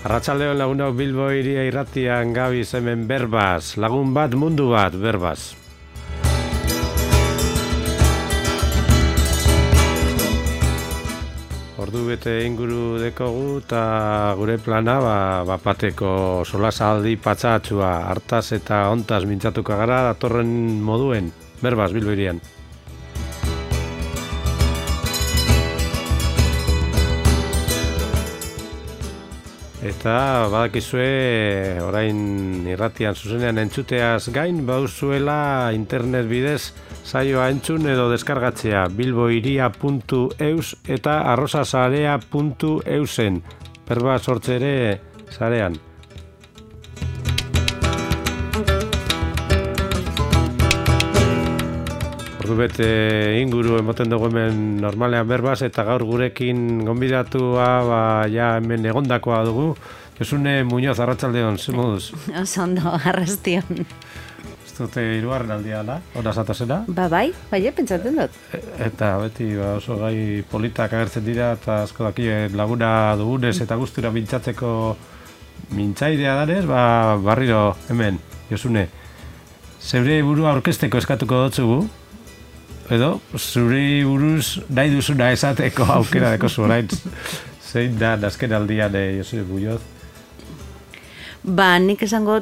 Arratsaldeon lagunok Bilbo hiria irratian gabiz hemen berbaz, lagun bat mundu bat berbaz. Ordu bete inguru dekogu eta gure plana bateko solasaldi patxatxua hartaz eta ontaz mintzatuko gara datorren moduen berbaz Bilbo hirian. Eta badakizue orain irratian zuzenean entzuteaz gain bauzuela internet bidez saioa entzun edo deskargatzea bilbohiria.eus eta arrosasarea.eusen berba sortze ere sarean. Bete inguru emoten dugu hemen normalean berbaz eta gaur gurekin gonbidatua ja hemen egondakoa dugu. Josune Muñoz, arratsaldeon, ze moduz? Ondo, arrastion. Ez dute hirugarren aldia da, hona zatozena? Bai, pentsatzen dut. Eta beti oso gai politak agertzen dira eta asko dakien laguna dugunez eta gustura mintzatzeko mintzaidea danez, barriro hemen, Josune. Zeure burua aurkezteko eskatuko dotzugu. Edo, zuri buruz nahi duzuna esateko aukera deko orain zein da azken aldian Josune Muñoz? Nik esango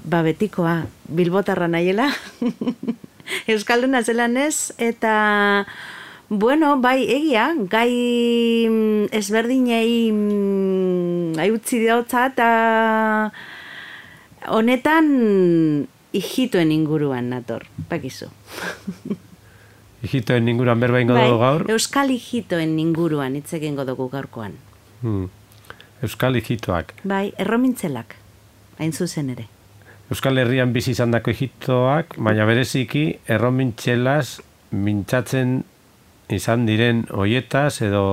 betikoa, bilbotarra nahiela. Euskalduna zelanez eta bai egia, gai ezberdinei utzi diotza eta honetan ijitoen inguruan nator, pakizu. Ijitoen inguruan berba ingo dugu gaur? Euskal ijitoen inguruan hitz egingo dugu gaurkoan. Euskal ijitoak. Erromintzelak, hain zuzen ere. Euskal Herrian bizi izandako ijitoak, baina bereziki erromintzelaz mintzatzen izan diren hoietaz edo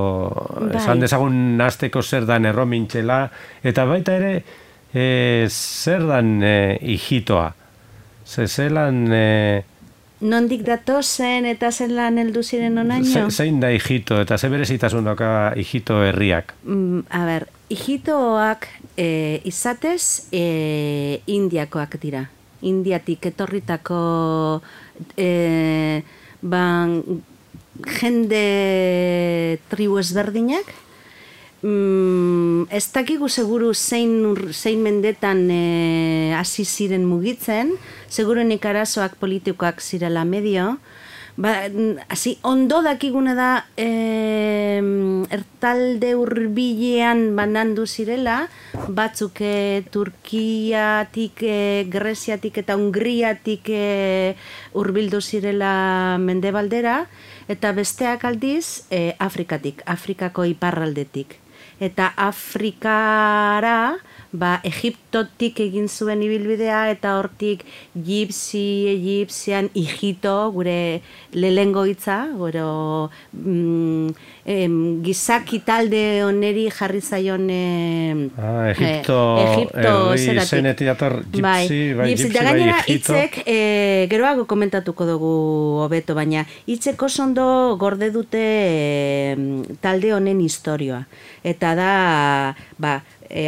esan dezagun hasteko zer dan erromintzela eta baita ere zer dan ijitoa. Zelan nondik datozen eta zelan heldu ziren onaino? Zein da ijito eta ze berezitasun dauka ijito herriak? Ijitoak izatez indiakoak dira. Indiatik etorritako jende tribu ezberdinak. Ez dakigu seguru zein mendetan hasi ziren mugitzen, seguruenik arazoak politikoak zirela medio. Ondo dakigune da ertalde hurbilean banandu zirela, batzuk Turkiatik, Greziatik eta Hungriatik hurbildu zirela mendebaldera, eta besteak aldiz Afrikatik, Afrikako iparraldetik. Eta Afrikara, Egiptotik egin zuen ibilbidea eta hortik egipzian ijito, gure lehengo hitza, gizaki talde oneri jarri zaion Egipto herri zenetik dator gipsi gainera hitzek geroago komentatuko dugu hobeto, baina hitzek oso ondo gorde dute talde honen istorioa. Eta da,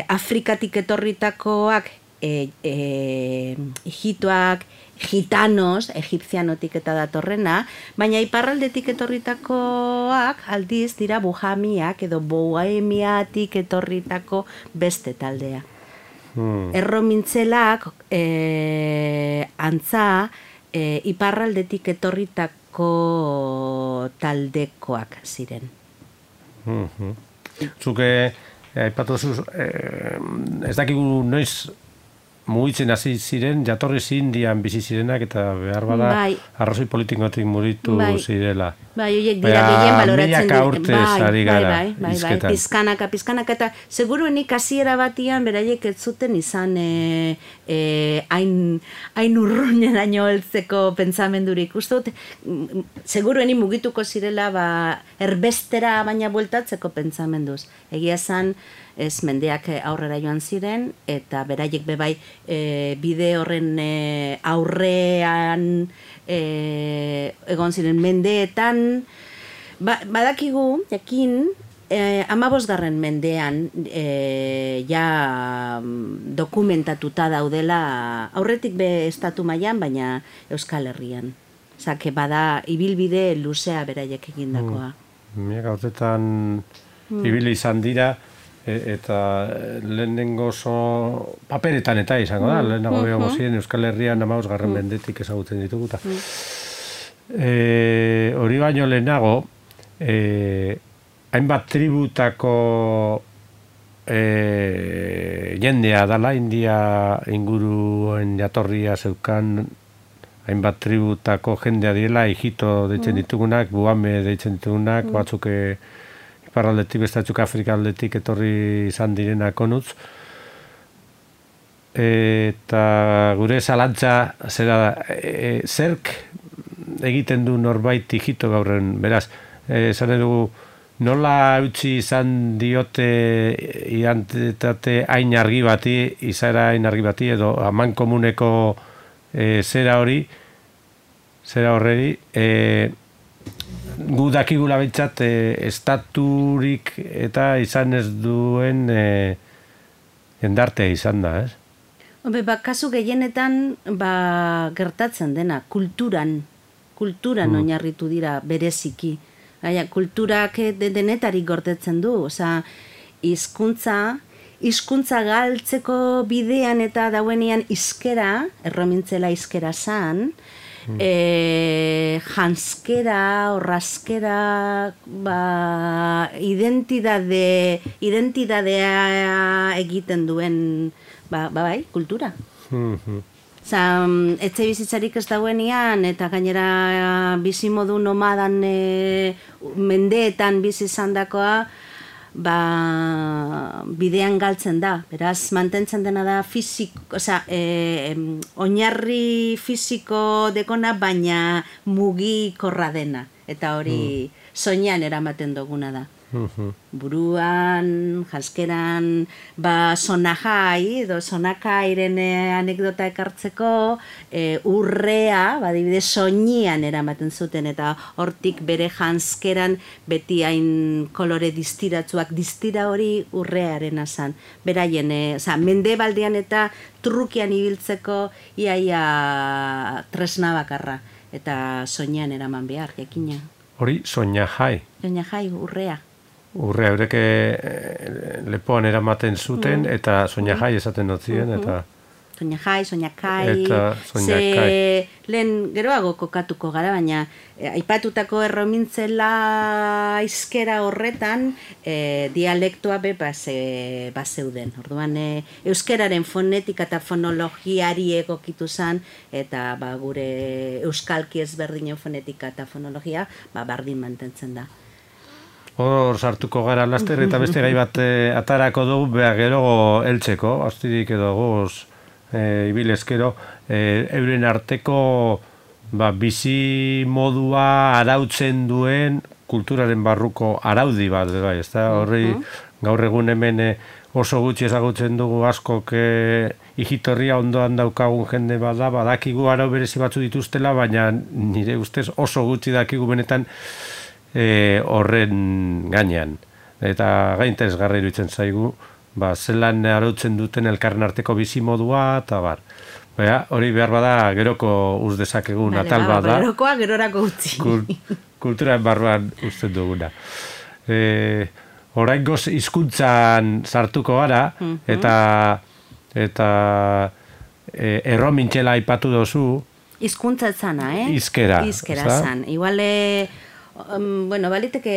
Afrikatik etorritakoak ijitoak, gitanos, egipzianotik eta datorrena, baina iparraldetik etorritakoak aldiz dira bujamiak edo bohemiatik etorritako beste taldea. Erromintzelak antza iparraldetik etorritako taldekoak ziren. Zuke aipatu zuz, ez dakigu noiz mugitzen hasi ziren, jatorriz Indian bizi zirenak eta behar bada arrazoi politikotik mugitu zirela. Horiek dira gehien baloratzen milaka urtez ari gara izketan. Pizkanaka, eta seguruenik hasiera batian beraiek ez zuten izan hain urruneraino heltzeko pentsamendurik. Uste dut, seguruenik mugituko zirela erbestera baina bueltatzeko pentsamenduz. Egia esan, ez mendeak aurrera joan ziren, eta beraiek bebai bide horren aurrean egon ziren mendeetan. Badakigu, jakin, 15. mendean ja dokumentatuta daudela, aurretik be estatu mailan, baina Euskal Herrian. Zake bada ibilbide luzea beraiek egindakoa. Nik gautetan ibili izan dira, eta lehenengo paperetan eta izango da, lehenago behago ziren Euskal Herrian 15. mendetik ezagutzen dituguta. Hori baino lehenago, hainbat tributako jendea dala, India inguruen jatorria zeukan, hainbat tributako jendea direla, Ijito deitzen ditugunak, Buame deitzen ditugunak, batzuk iparraldetik, bestatzuk Afrika aldetik etorri izan direnak onutz. Eta gure zalantza zera zerk egiten du norbait Ijito gaurren, beraz, esan dugu, nola utzi izan diote identitate hain argi bati, izaera hain argi bati, edo aman komuneko zera horreri, gu dakigula behintzat estaturik eta izan ez duen jendartea izan da, ez? Kasu gehienetan gertatzen dena, kulturan oinarritu dira bereziki. Kulturak denetarik gordetzen du, hizkuntza galtzeko bidean eta dauenean hizkera, erromintzela hizkera zan, janskera, orraskera, identidadea egiten duen, bai, kultura. Etxe bizitzarik ez dauenean, eta gainera bizimodu nomadan mendeetan bizi izandakoa, bidean galtzen da. Beraz, mantentzen dena da oinarri fisiko dekona, baina mugikorra dena. Eta hori soinean eramaten duguna da. Buruan, jaskeran, sonajai, edo sonakairen anekdota ekartzeko, urrea, adibidez, soinean eramaten zuten, eta hortik bere janskeran beti hain kolore distiratzuak, distira hori urrearen azan. Beraien, mendebaldean eta trukian ibiltzeko iaia tresna bakarra, eta soinean eraman behar, jakina. Hori soinajai. Soinajai, urrea. Urrea, eureke lepoan eramaten zuten, eta soinajai esaten notzien, eta... Soinajai, soinakai... Eta soinakai. Lehen geroago kokatuko gara, baina aipatutako erromintzela hizkera horretan dialektoa bazeuden. Orduan, euskeraren fonetika eta fonologiari egokitu zen, eta gure euskalki ezberdinen fonetika eta fonologia bardin mantentzen da. Hor sartuko gara laster eta beste gai bat atarako dugu, gero heltzeko, astirik edo goz ibilezkero, euren arteko bizi modua arautzen duen kulturaren barruko araudi bat, bai, ezta? Horri gaur egun hemen oso gutxi ezagutzen dugu askok Ijitorria ondoan daukagun jende bada, badakigu arau berezi batzu dituztela, baina nire ustez oso gutxi dakigu benetan horren gainean. Eta interesgarri iruditzen zaigu, zelan arautzen duten elkarren arteko bizimodua, eta bar. Hori behar bada geroko uz dezakegun atal bada. Gerokoa gerorako utzi. Kulturaren barruan uzten duguna. Oraingoz hizkuntzan sartuko gara, eta erromintxela aipatu dozu. Hizkuntza zana, Hizkera. Hizkera zan. Iguale... baliteke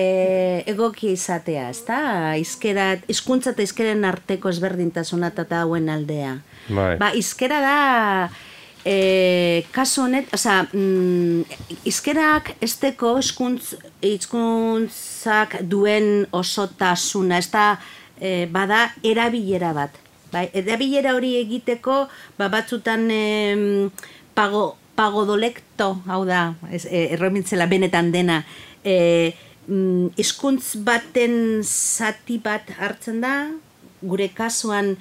egoki izatea, ezta? Hizkuntza eta hizkeren arteko ezberdintasuna eta hauen aldea. Hizkera da, kasu honet, hizkerak esteko hizkuntzak duen osotasuna, ez da, bada erabilera bat. Erabilera hori egiteko, batzutan pagodolekto, hau da, erromintzela benetan dena, hizkuntz baten zati bat hartzen da, gure kasuan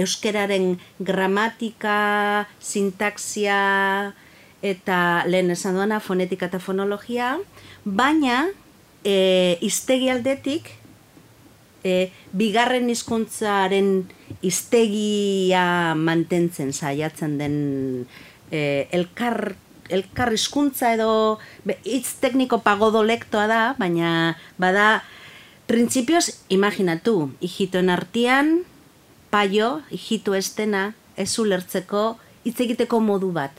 euskeraren gramatika, sintaxia eta lehen esan duena fonetika eta fonologia, baina hiztegi aldetik, bigarren hizkuntzaren hiztegia mantentzen saiatzen den elkar hizkuntza edo hitz tekniko pagodolektoa da, baina bada printzipioz imaginatu, hijitoen artean paio, hijito estena, ez ulertzeko hitz egiteko modu bat.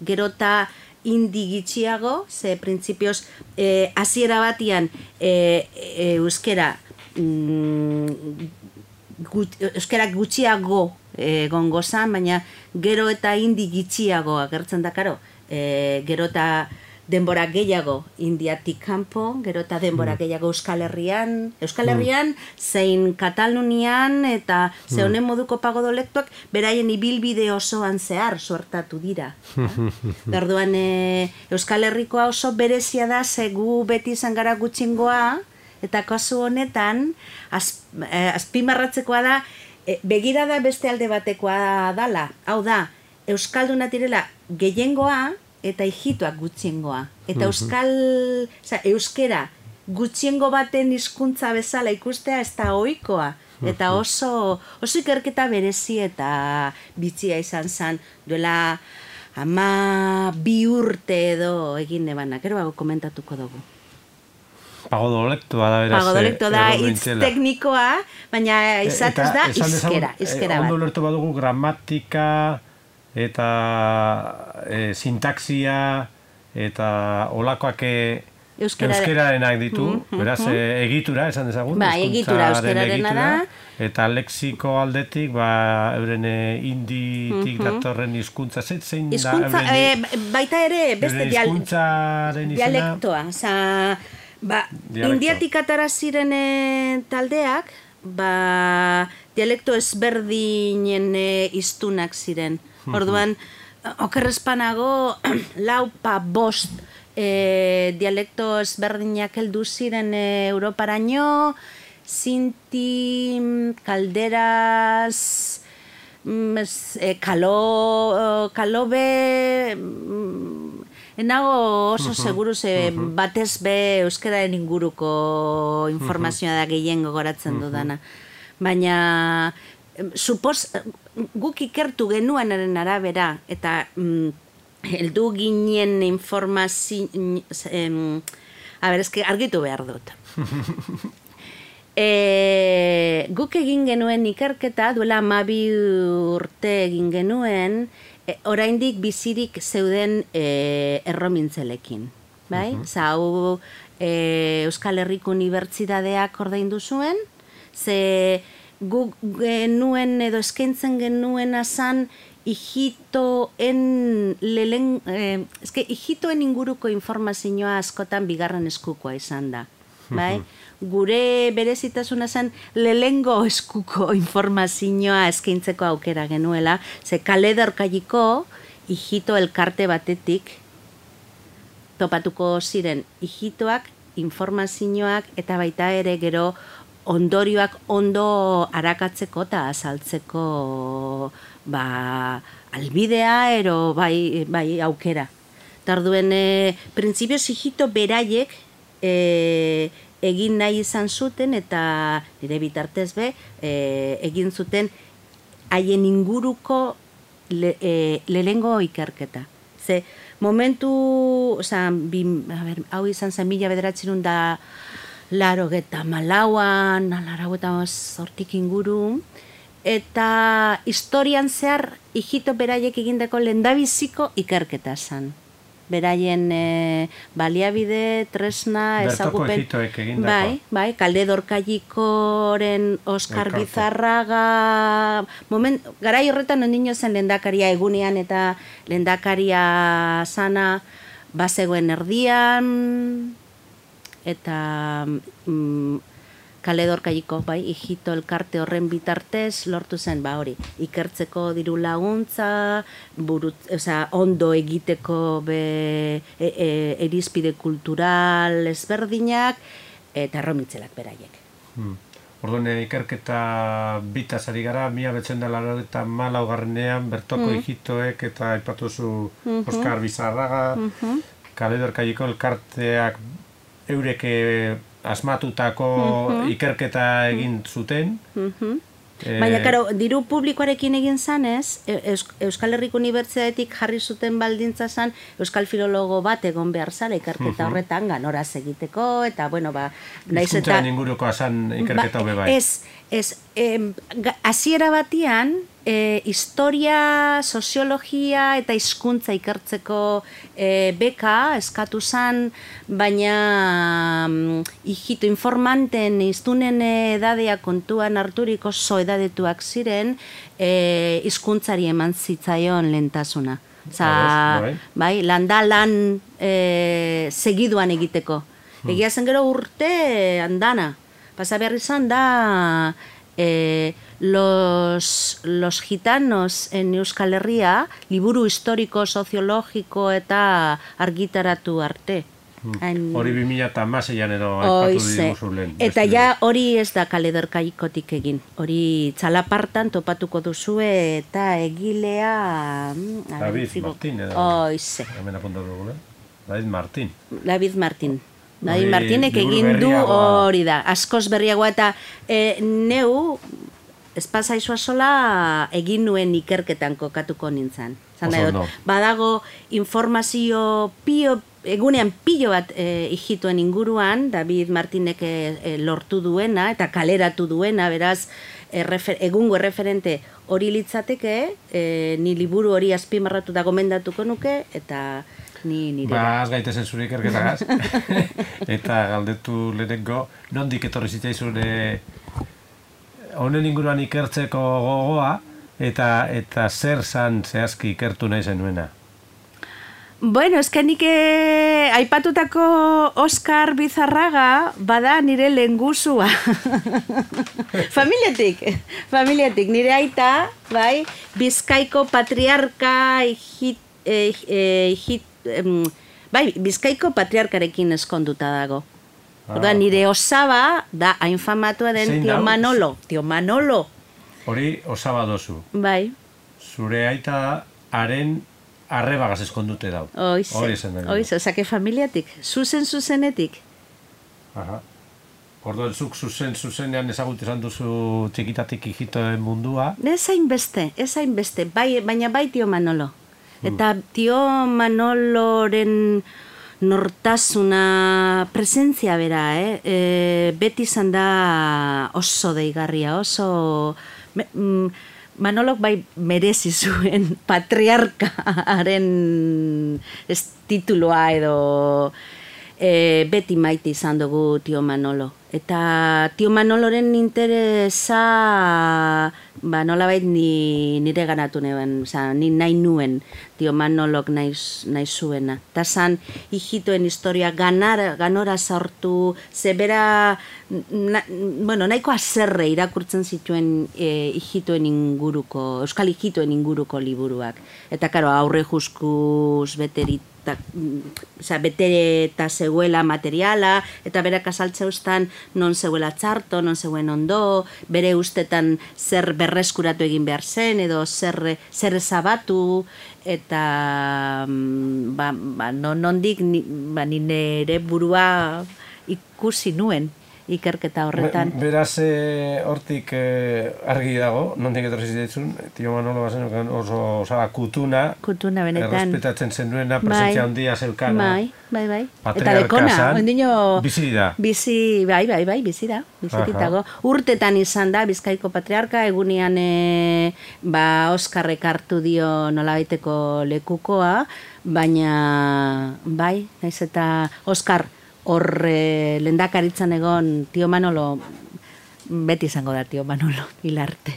Gero eta indi gitxiago, ze printzipioz hasiera batian euskera euskarak gutxiago gongo zan, baina gero eta indi gitxiago agertzen da, karo. Gero eta denbora gehiago indiatik kanpo, gero eta denbora gehiago Euskal Herrian, zein Katalunian, eta ze honen moduko pagodolektuak beraien ibilbide osoan zehar suertatu dira. Orduan Euskal Herrikoa oso berezia da, ze gu beti izan gara gutxingoa, eta kasu honetan, azpimarratzekoa da, begirada beste alde batekoa dala. Hau da, Euskalduna direla gehiengoa eta hijitoak gutxiengoa. Eta euskera gutxiengo baten hizkuntza bezala ikustea ez da ohikoa. Eta oso ikerketa berezi eta bitxia izan zen duela 12 urte edo egin nebana. Gero komentatuko dugu. Pagodolektoa da, beraz. Pagodolektoa da, hitz teknikoa, baina izatez da izkera bat. Ondo ulertu badugu gramatika eta sintaxia eta olakoak euskerarenak ditu, beraz, egitura, esan dezagun. Ba, egitura euskerarena da. Eta lexiko aldetik, euren inditik datorren hizkuntza, zein da? Baita ere, beste dialektoa. Indiatik atara ziren taldeak, dialekto ezberdinen hiztunak ziren. Orduan, okerrezpanago, 4-5 dialekto ezberdinak heldu ziren Europaraino, Sinti, Kalderaz, Kalobe, enago oso seguru batez be euskararen inguruko informazioa da gehien gogoratzen dudana. Baina, guk ikertu genuenaren arabera, eta heldu ginen informazio... argitu behar dut. Guk egin genuen ikerketa, duela 12 urte egin genuen, oraindik bizirik zeuden erromintzelekin. Hau Euskal Herriko Unibertsitateak ordaindu zuen, ze guk genuen edo eskaintzen genuen azan hijitoen inguruko informazioa askotan bigarren eskukoa izan da. Gure berezitasuna zen lehengo eskuko informazioa eskaintzeko aukera genuela, ze Kale Dorkailiko hijito elkarte batetik topatuko ziren hijitoak, informazioak eta baita ere gero ondorioak ondo arakatzeko eta azaltzeko albidea ero bai aukera. Tarduen, printzipioz hijito beraiek egin nahi izan zuten eta nire bitartez egin zuten haien inguruko lehengo ikerketa. Ze momentu, hau izan zen 1984 inguru, eta historian zehar hijito beraiek egindako lehendabiziko ikerketa zen. Beraien baliabide, tresna, ezagupen... Bertoko hijitoek egindako. Bai, Kale Dorkailikoren Oskar Bizarraga... Garai horretan ondino zen lehendakaria egunean eta lehendakaria sana bazegoen erdian, eta Kale Dorkailiko, hijito elkarte horren bitartez, lortu zen, hori, ikertzeko diru laguntza, ondo egiteko erizpide kultural ezberdinak, eta erromitzelak beraiek. Orduan, ikerketa bitaz ari gara, 1984 bertoko hijitoek eta aipatuzu Oskar Bizarraga, Kale Dorkailiko elkarteak eurek asmatutako ikerketa egin zuten. Baina, karo, diru publikoarekin egin zanez, Euskal Herriko Unibertsitatetik jarri zuten baldintza zan, Euskal Filologo bat egon behar zala ikerketa horretan ganoraz egiteko, eta, bueno, hizkuntzaren ingurukoa zan ikerketa hobe bai. Hasiera batian, historia, soziologia eta hizkuntza ikertzeko beka eskatu zan, baina hijitu informanten iztunen edadea kontuan harturik oso edadetuak ziren, hizkuntzari eman zitzaion lehentasuna. Bai, lan segiduan egiteko. Egia zen gero urte andana. Pasa behar izan da los gitanos en Euskal Herria liburu historiko, soziologiko eta argitaratu arte. Hori 2016an edo aipatu diguzu lehen. Eta ja hori ez da kalederkaikotik egin. Hori txalapartan topatuko duzue eta egilea... David Martin edo. Oize. Hemen apuntatu dugula. David Martin. David Martinek egin du hori da. Askoz berriagoa eta neu espazaizoa sola egin nuen ikerketan kokatuko nintzen. Badago informazio egunean pilo bat hijituen inguruan, David Martinek lortu duena eta kaleratu duena, beraz, egungo erreferente hori litzateke, ni liburu hori azpimarratu da gomendatuko nuke, eta nire. Az gaitezen zure ikerketagaz. Eta galdetu lehenengo, nondik etorri zitzaizun honen inguruan ikertzeko gogoa, eta zer zan zehazki ikertu nahi zenuena? Bueno, nik aipatutako Oskar Bizarraga bada nire lehengusua. Familiatik, nire aita, bai, Bizkaiko patriarka Bizkaiko patriarkarekin eskonduta dago. Nire osaba da hainfamatua den Tio Manolo. Hori osaba dozu. Bai. Zure aita haren arrebagaz eskondute dau. Oize, osake familiatik. Zuzenetik. Orduan zuk zuzenean ezagutu izan duzu txikitatik hijitoen mundua. Ez hainbeste, baina bai Tio Manolo. Eta Tio Manoloren nortasuna presentzia bera, beti izan da oso deigarria, oso... Manolok bai merezi zuen patriarkaren tituloa edo beti maite izan dugu Tio Manolo. Eta Tio Manoloren interesa nolabait nire ganatu nuen, ni nahi nuen Tio Manolok nahi zuena. Eta zan hijitoen historia ganora sortu, zebera, nahiko azerre irakurtzen zituen euskal hijitoen inguruko liburuak. Eta karo, aurre juskuz bete eta zeuela materiala, eta berak azaltzeustan non zeuela txarto, non zeuen ondo, bere ustetan zer berreskuratu egin behar zen, edo zer ezabatu, eta nondik nire burua ikusi nuen ikerketa horretan. Beraz, hortik argi dago, nondik etorri zitzaizun, Tio Manolo bazen oso osaba kutuna, benetan. Errespetatzen zenduena, presentzia handia zeukana. Bai. Eta dekona, bizi da. Bai, bizi dago. Urtetan izan da, Bizkaiko patriarka, egunean Oskarrek hartu dio nolabaiteko lekukoa, baina, bai, naiz eta Oskar, lehendakaritzan egon Tio Manolo, beti izango da Tio Manolo, hilarte.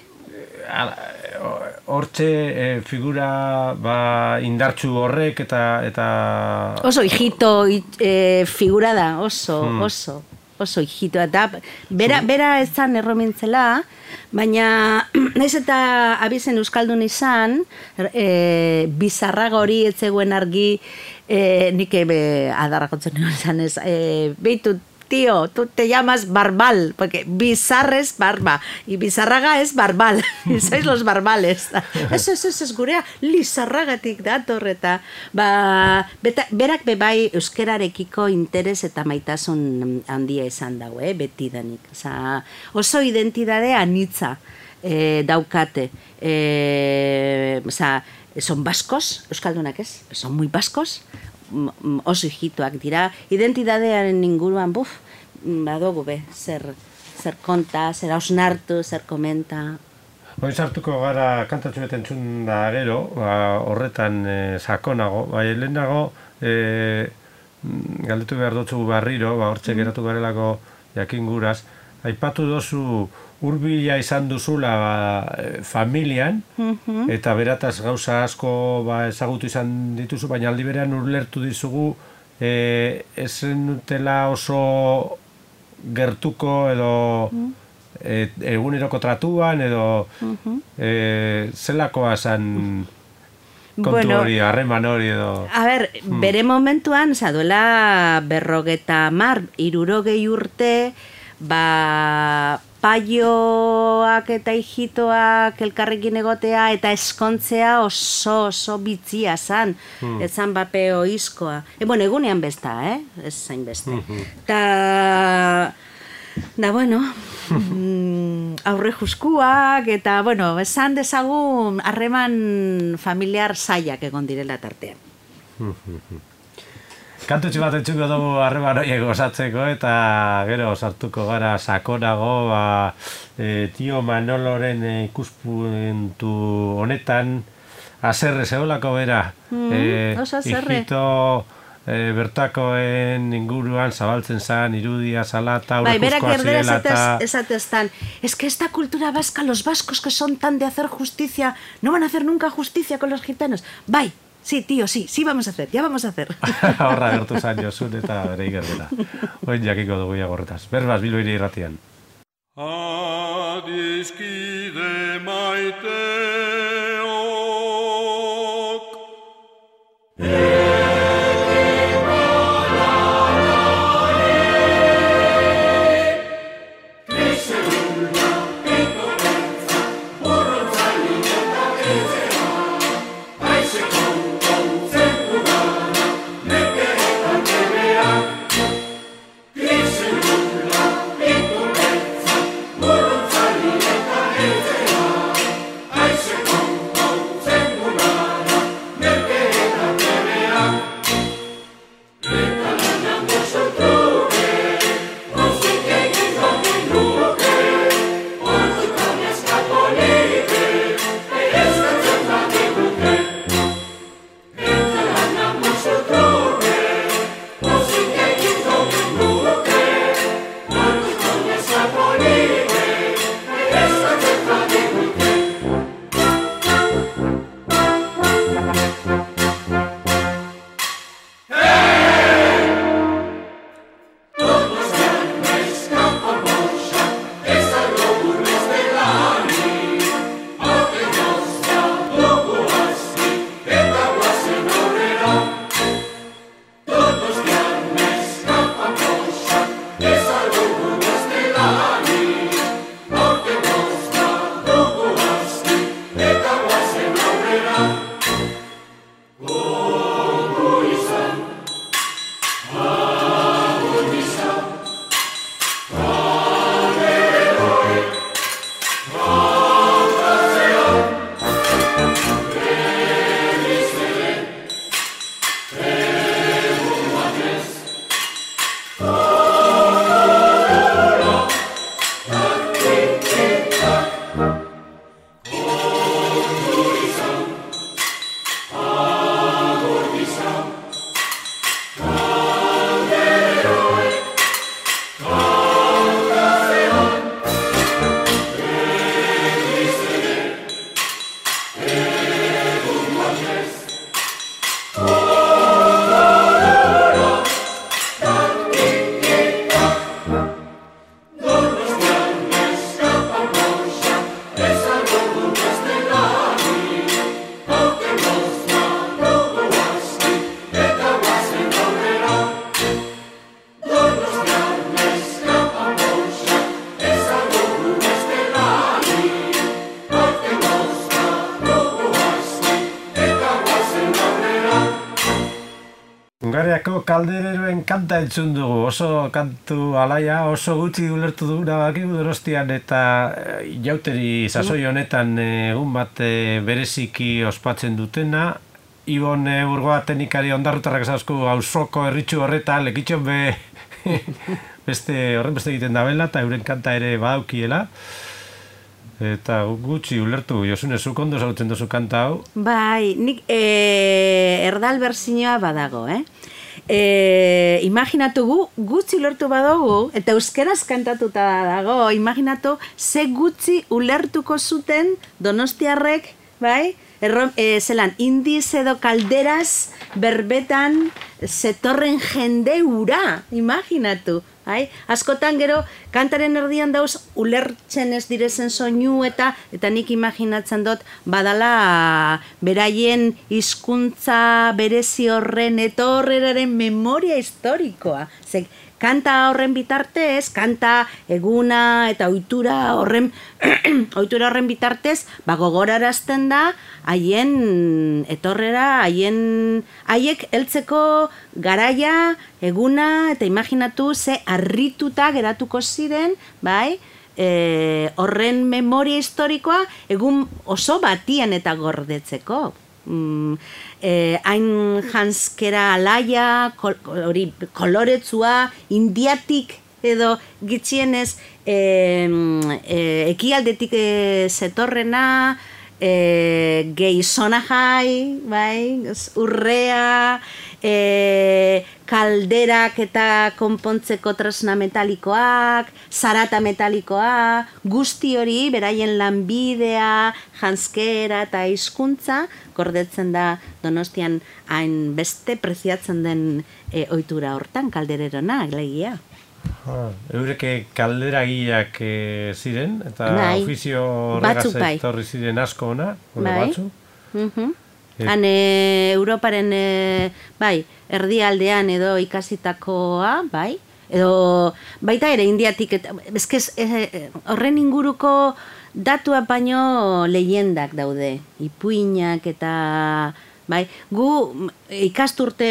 Hortxe figura indartsu horrek eta... Oso hijito figura da, oso hijito. Eta bera ez zan erromintzela, baina naiz eta abizen euskaldun izan, Bizarraga hori ez zegoen argi, nik adarrakotzen nuen izan ez, behitu tío, tú te llamas Barbal, porque bizarra es barba, y bizarraga es barbal, y sois los barbales. Eso es gurea, lizarragatik dator, eta, berak bebai euskerarekiko interes eta maitasun handia izan dago, betidanik. Osa, oso identidade anitza daukate. Osa, son baskos, euskaldunak ez, son muy baskos, oso hijituak dira, identidadearen inguruan, badogu zer konta, zer hausnartu, zer komenta. Hoi sartuko gara kantatxu beten txun da gero, horretan sakonago, lehenago galdetu behar dutzu barriro, hortxe geratu garelako jakinguraz, aipatu dozu hurbila izan duzula familian, eta berataz gauza asko ezagutu izan dituzu, baina aldi berean ulertu dizugu ezen dutela oso gertuko edo eguneroko tratuan edo zelakoa zan kontu hori, harreman hori edo... A ber, bere momentuan, duela 50, 60 urte, paioak eta hijitoak elkarrekin egotea eta eskontzea oso bitzia zan. Ez zan bape oizkoa. Egunean besta, ez zain beste. Bueno, aurre juskuak eta, esan dezagun harreman familiar zailak egon direla tartean. Kantutxi bat etxuko dugu harreman horiek osatzeko eta gero sartuko gara sakonago Tio Manoloren ikuspuntu honetan haserre zeolako bera. Oso haserre. Hijito bertakoen inguruan zabaltzen zan, irudia, salata, aurrejuskoa zirela eta... Esatestan, es que esta cultura vasca, los vascos que son tan de hacer justicia, no van a hacer nunca justicia con los gitanos. Bai, sí, tío, sí vamos a hacer, ya vamos a hacer. Horra gertu zan Josun eta bere ikerrela. Oin jakiko dugu gorretaz. Berbaz, Bilbo Hiri Irratian. Adiskide maiteok Come kaldereroen kanta entzun dugu, oso kantu alaia, oso gutxi ulertu duguna bakigu Donostian eta jauteri sasoi honetan egun bat bereziki ospatzen dutena. Ibon Burgoa teknikari ondarrutarrak esasku auzoko erritxu horretan lekitxon beste egiten dabela eta euren kanta ere badaukiela. Eta gutxi ulertu, Josune, zuk ondo zautzen duzu kanta hau? Bai, nik erdal berzinoa badago, imaginatu gutxi ulertu badugu, eta euskeraz kantatuta dago, imaginatu ze gutxi ulertuko zuten donostiarrek, bai? Zelan, indiz edo kalderaz berbetan zetorren jende ura, imaginatu. Askotan gero, kantaren erdian dauz, ulertzen ez direzen soinu eta nik imaginatzen dut badala beraien hizkuntza berezi horren etorreraren memoria historikoa. Kanta horren bitartez, kanta eguna eta ohitura horren bitartez, gogorarazten da haien etorrera, haiek heltzeko garaia, eguna eta imaginatu ze harrituta geratuko ziren, bai? Horren memoria historikoa egun oso batian eta gordetzeko. Hain janskera alaia, koloretzua, indiatik edo gitxienez ekialdetik zetorrena, geizona jai, bai, urrea, kalderak eta konpontzeko tresna metalikoak, zarata metalikoa, guzti hori, beraien lanbidea, janskera eta hizkuntza gordetzen da Donostian hain beste preziatzen den ohitura hortan, kaldererona, legia. Eureke kalderagiak ziren, eta ofizio horregaz etorri ziren asko ona, batzu? Han Europaren erdialdean edo ikasitakoa, bai, edo baita ere indiatik, horren inguruko datuak baino leyendak daude, ipuinak eta bai, gu ikasturte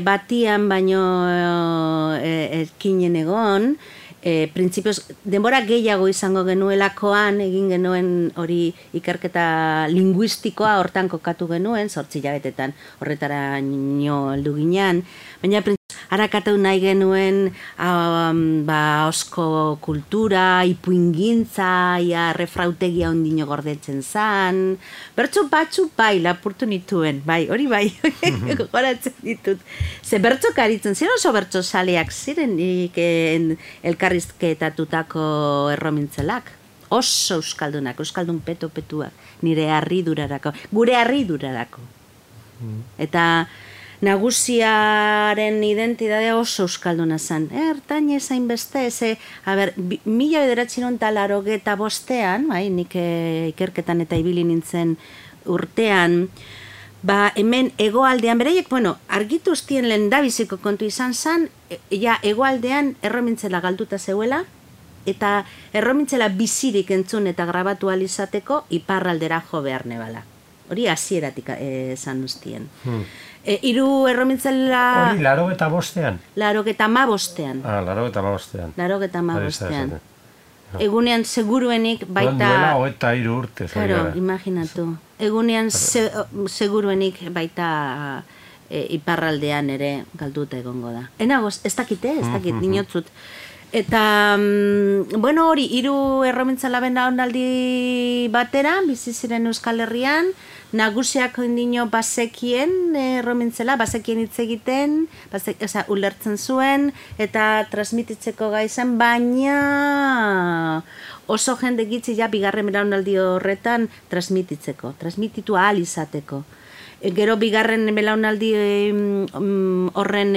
batian baino ekinen egon, printzipioz, denbora gehiago izango genuelakoan, egin genuen hori ikerketa linguistikoa hortan kokatu genuen, 8 hilabetetan horretara nio heldu ginean, baina harakatu nahi genuen osko kultura, ipuingintza, refrautegia ondino gordetzen zan, bertso batzu bai, lapurtu nituen, bai, hori bai, goratzen ditut. Ze bertso karitzen, ziren oso bertso saleak ziren elkarrizketatutako erromintzelak. Oso euskaldunak, euskaldun petuak, nire harridurarako, gure harridurarako. Eta nagusiaren identidadea oso euskalduna zen. Ertain ezain beste, 1985 bai, nik ikerketan eta ibili nintzen urtean, hemen egoaldean, beraiek, argitu ustien lehendabiziko kontu izan zen, egoaldean erromintzela galduta zeuela, eta erromintzela bizirik entzun eta grabatu alizateko iparraldera jo behar nebala. Hori hasieratik esan ustien. Hiru erromintzela... Hori, 85ean? 85ean. Laurogeita hamabostean. Egunean seguruenik baita... Duela 23 urte. Claro, imaginatu. Egunean seguruenik baita iparraldean ere galduta egongo da. Enagoz, ez dakit, dinotzut. Eta, hori, hiru erromintzela belaunaldi batera, bizi ziren Euskal Herrian, nagusiak ondino bazekien erromintzela, bazekien hitz egiten, ulertzen zuen, eta transmititzeko gaizan, baina oso jende gitzi bigarren belaunaldi horretan transmititu ahal izateko. Gero bigarren belaunaldi horren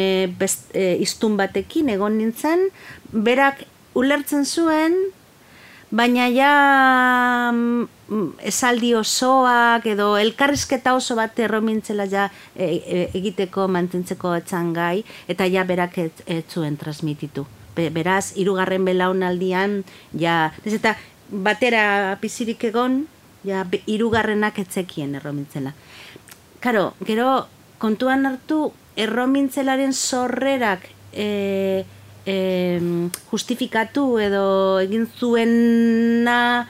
iztun batekin egon nintzen, berak ulertzen zuen, baina esaldi osoak edo elkarrizketa oso bat erromintzela egiteko mantentzeko etzan gai, eta berak ez zuen transmititu. Beraz, hirugarren belaunaldian, eta batera pizirik egon, hirugarrenak etzekien erromintzela. Karo, gero kontuan hartu erromintzelaren sorrerak justifikatu edo egin zuena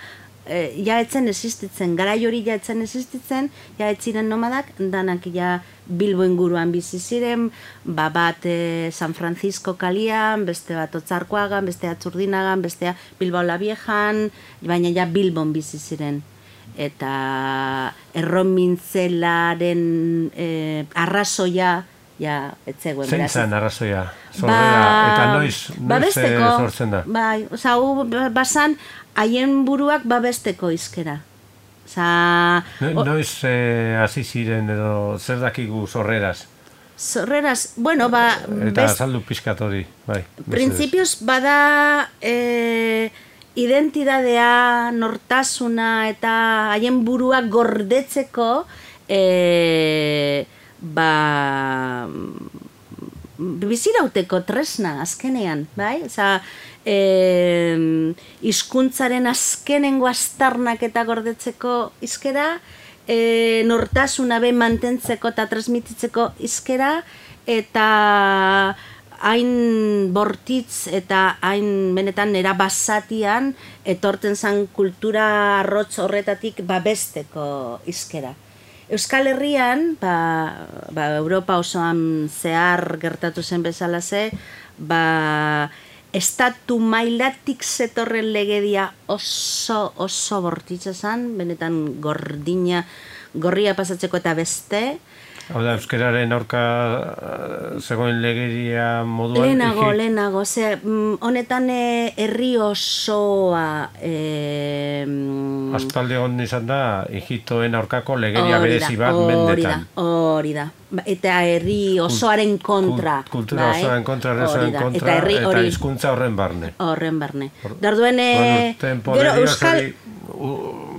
ja etzen existitzen, garai hori ja etzen existitzen, ja etziren nomadak, danak ja Bilbo inguruan bizi ziren, bat San Francisco kalian, beste bat Otzarkoagan, beste Atzurdinagan, bestea Bilbao la Viejan, baina ja Bilbon bizi ziren. Eta erromintzelaren arrazoia ja etzegoen. Zein zan arrazoia? Sorrera, eta noiz sortzen da? Bai, oza, bazan, haien buruak babesteko izkera. Noiz hasi ziren edo zer dakigu sorreraz? Sorreraz, bueno, eta azaldu pixkat hori, bai. Printzipioz bada identidadea, nortasuna eta haien buruak gordetzeko bizirauteko tresna azkenean, bai? Hizkuntzaren azkenengo aztarnak eta gordetzeko izkera, nortasuna be mantentzeko eta transmititzeko izkera, eta hain bortitz eta hain benetan nera basatian etorten zan kultura arrotz horretatik babesteko izkera. Euskal Herrian, Europa osoan zehar gertatu zen bezalaze, estatu mailatik zetorren legedia oso bortitza zen, benetan gorria pasatzeko eta beste. Hau da, euskararen aurka zegoen legedia moduan? Lehenago, honetan herri osoa... Aspaldi hon izan da, Egiptoen aurkako legedia berezi bat mendetan. Hori da, eta herri osoaren kontra. Kultura osoaren kontra, herri kontra, eta hizkuntza horren barne. Horren barne. Darduen... Gero Euskal...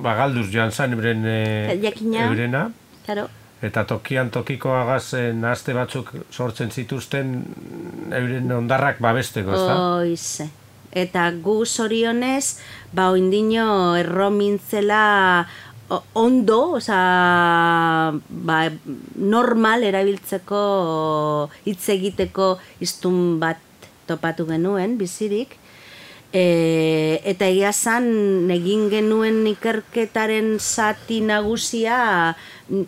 Galduz joan zan eurena. Claro. Eta tokian tokiko agazen aste batzuk sortzen zituzten euren ondarrak babesteko, ezta? Oize. Eta gu zorionez, oindino erromintzela ondo, normal erabiltzeko hitz egiteko hiztun bat topatu genuen, bizirik. Eta egia zan, egin genuen ikerketaren zati nagusia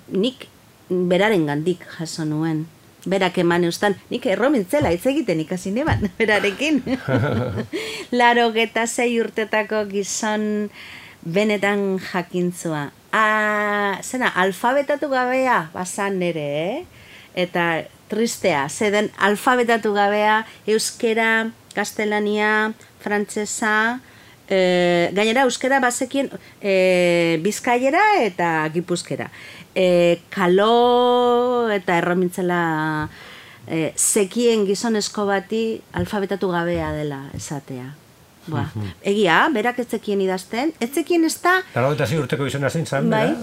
nik beraren gandik jaso nuen. Berak eman eustan, nik erromintzela hitz egiten ikasi neban, berarekin. 86 urtetako gizon benetan jakintzua. Alfabetatu gabea bazan nere, eta tristea, zeden alfabetatu gabea euskera, gaztelania, frantsesa, gainera euskera bazekien bizkaiera eta gipuzkera. Kalo eta erromintzela zekien gizonezko bati alfabetatu gabea dela esatea. Egia, berak ez zekien idazten, ez zekien ez da... 86 urteko izena zein zan, bai,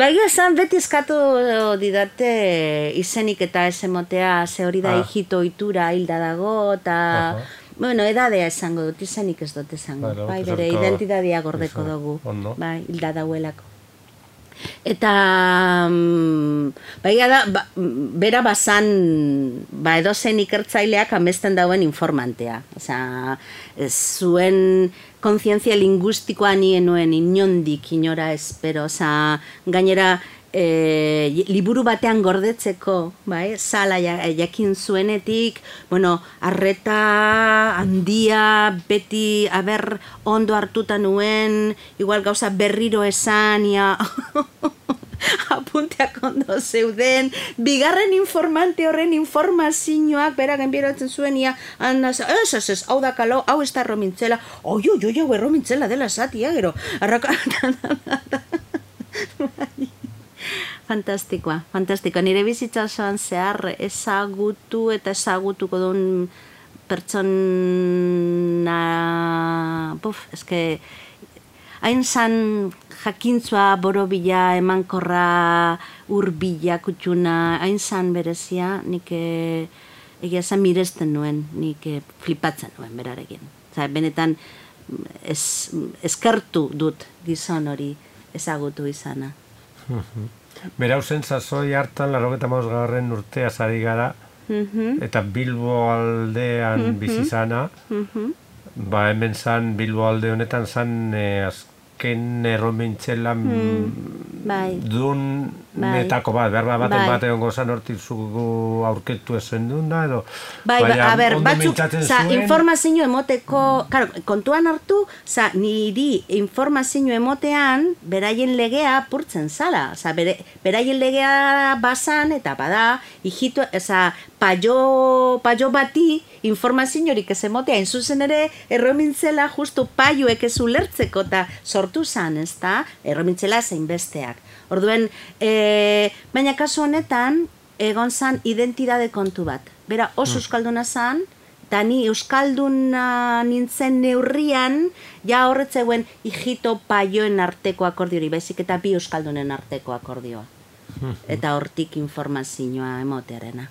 egia zan beti eskatu didate izenik eta ez emotea, ze hori da hijito ohitura hilda dago, eta... Bueno, edadea esango dut, izenik ez dut esango. Bai, bere identitatea gordeko dugu. Bai, hilda dauelako. Eta, bera bazan, edozen ikertzaileak amesten dauen informantea. Zuen kontzientzia linguistikoa nien nuen inondik, inora espero. Gainera, liburu batean gordetzeko, sala jakin zuenetik, arreta handia, beti ondo hartuta nuen, igual gauza berriro esan, apunteak ondo zeuden, bigarren informante horren informazioak berak enbieratzen zuen, ez, hau da kalo, hau ez da erromintzela, hau erromintzela dela zatia, gero, Fantastikoa. Nire bizitza osoan zehar ezagutu eta ezagutuko duen pertsona... hain zan jakintzua, borobila, emankorra, urbila, kutxuna, hain zan berezia, nik egia zan miresten nuen, nik flipatzen nuen berarekin. Benetan eskertu dut gizon hori ezagutu izana. Berau zen sasoi hartan, 85. urtea zari gara, eta Bilbo aldean bizi zana, ba hemen zan, Bilbo alde honetan zan azken erromintzelan dun netako bat, berba baten bat egongo zan hortik zugu aurketu ezen duen da, edo a ber, batzuk, informazio emoteko, kontuan hartu, niri informazio emotean beraien legea apurtzen zala, beraien legea bazan, eta bada, hijito, paio bati informaziorik ez emotea, zuzen ere erromintzela justu paioek ez ulertzeko eta sortu zan, ez da, erromintzela zein besteak. Orduen, baina kasu honetan, egon zan identidade kontu bat. Bera, oso euskalduna zan, eta ni euskalduna nintzen neurrian, ja horretzeuen hijito paioen arteko akordiori, baizik eta bi euskaldunen arteko akordioa. Eta hortik informazioa emotearena.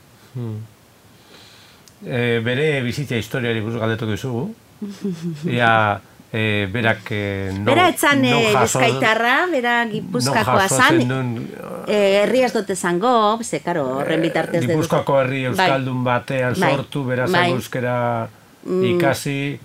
Bere bizitza historiari buruz galdetuko dizugu. Berak bera etzan bizkaitarra, bera Gipuzkoakoa zan, herriaz dut ezango, ze, karo, horren bitartez dut. Gipuzkoako herri euskaldun batean sortu, bera zan euskera ikasi,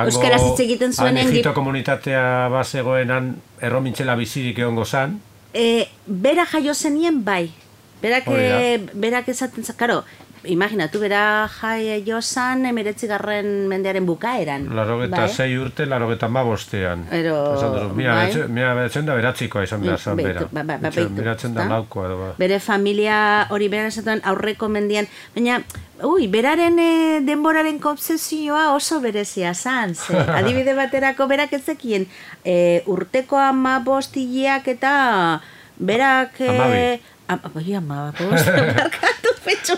euskaraz hitz egiten zuenen. Egipto komunitatea bazegoenan erromintzela bizirik egongo zan. Bera jaio zenien bai, berak esaten zan, karo, imaginatu, bera jaio zan 19. mendearen bukaeran. 86 urte, 85ean. Mira beratzen da beratzikoa izan behar zan bera. Beratzen da laukoa edo. Bere familia hori bera esatuan aurreko mendian, baina, beraren denboraren obsesioa oso berezia zan. Adibide baterako berak ezekien urteko 15 hileak eta berak... Barkatu petxo.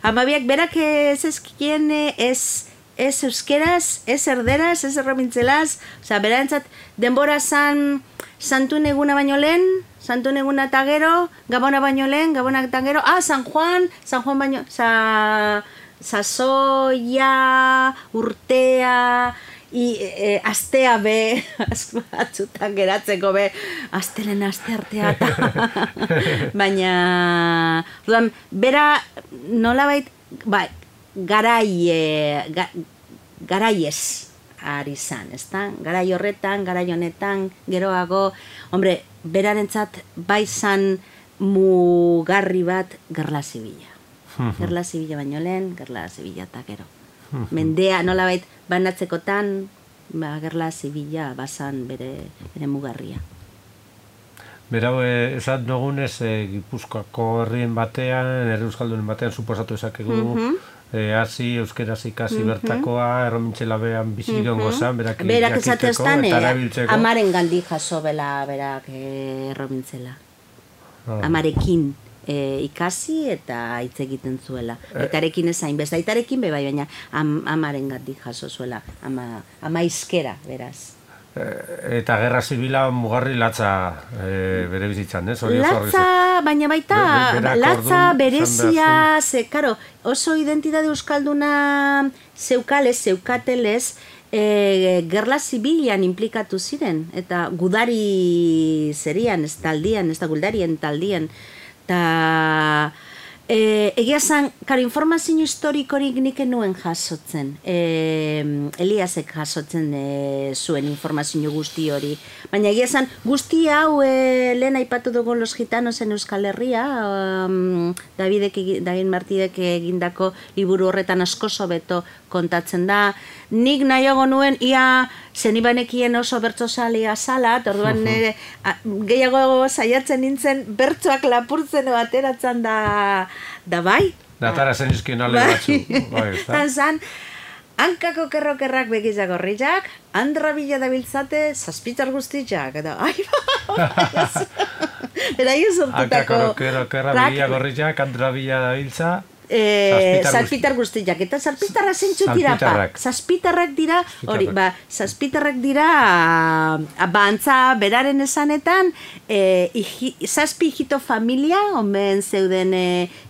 Amabiak berak ez ezkien ez euskeraz, ez erderaz, ez erromintzelaz, berantzat denbora zan santun eguna baino lehen, santun eguna eta gero, gabona baino lehen, gabona eta gero, San Juan baino, sasoia, urtea, astea be, batzutan geratzeko be, astelen aste artea baina, bera nolabait, garaiez ari zan, ezta? Garai horretan, garai honetan, geroago, hombre, berarentzat bai zan mugarri bat Gerla Zibila. Gerla Zibila baino lehen, Gerla Zibila eta gero. Mendea nolabait banatzekotan, Gerla Zibila bazan bere mugarria. Berau, esat dugunez, Gipuzkoako herrien batean, herri euskaldunen batean, suposatu ezakegu, hasi, euskeraz ikasi bertakoa, erromintxela behan bizigon gozan, berak jakiteko, eta erabiltzeko. Amaren gandik jaso bela berak erromintxela. Amarekin ikasi eta hitz egiten zuela. Aitarekin ezain, besta aitarekin bebai, baina amaren gandik jaso zuela, ama izkera, beraz. Eta Gerra Zibila mugarri latza bere bizitzan, ez? Latza, baina baita, latza berezia, ze, karo, oso identitate euskalduna zeukatelez, Gerla Zibilan implikatu ziren, eta gudari zerian, ez taldian, ez da guldarien taldian, eta egia zan, karo, informazio historikorik nik nuen jasotzen, Eliasek jasotzen zuen informazio guzti hori, baina egia zan, guzti hau lehen aipatu dugu Los Gitanos en Euskal Herria, David Martidek egindako liburu horretan asko hobeto kontatzen da, nik nahiago nuen, ia zenibanekien oso bertsozalia zala, orduan gehiago saiatzen nintzen bertsoak lapurtzen ateratzen da bai. Datara zen izkien ale batzu. Zan, hankako kerrokerrak begizak horriak, Andra Bila dabiltzate, zazpitar guztiak, eta beraio sortutako... Hankako kerrokerrak begizak horriak, Andra Bila dabiltza... Zazpitar guztiak, eta zazpitarra zentzu dira, zazpitarrak dira, hori, zazpitarrak dira, antza beraren esanetan, zazpi hijito familia, omen zeuden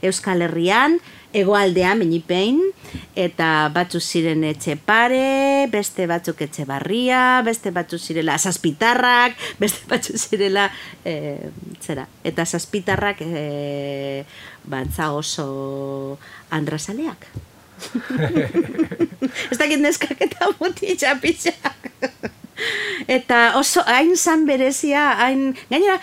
Euskal Herrian, hegoaldean, menipein, eta batzu ziren Etxepare, beste batzuk Etxebarria, beste batzuk zirela Zazpitarrak, beste batzuk zirela zera. Eta Zazpitarrak bantza oso andrazaleak. Ez dakit neskak eta mutitxa pixak. Eta oso hain zan berezia, hain... Gainera,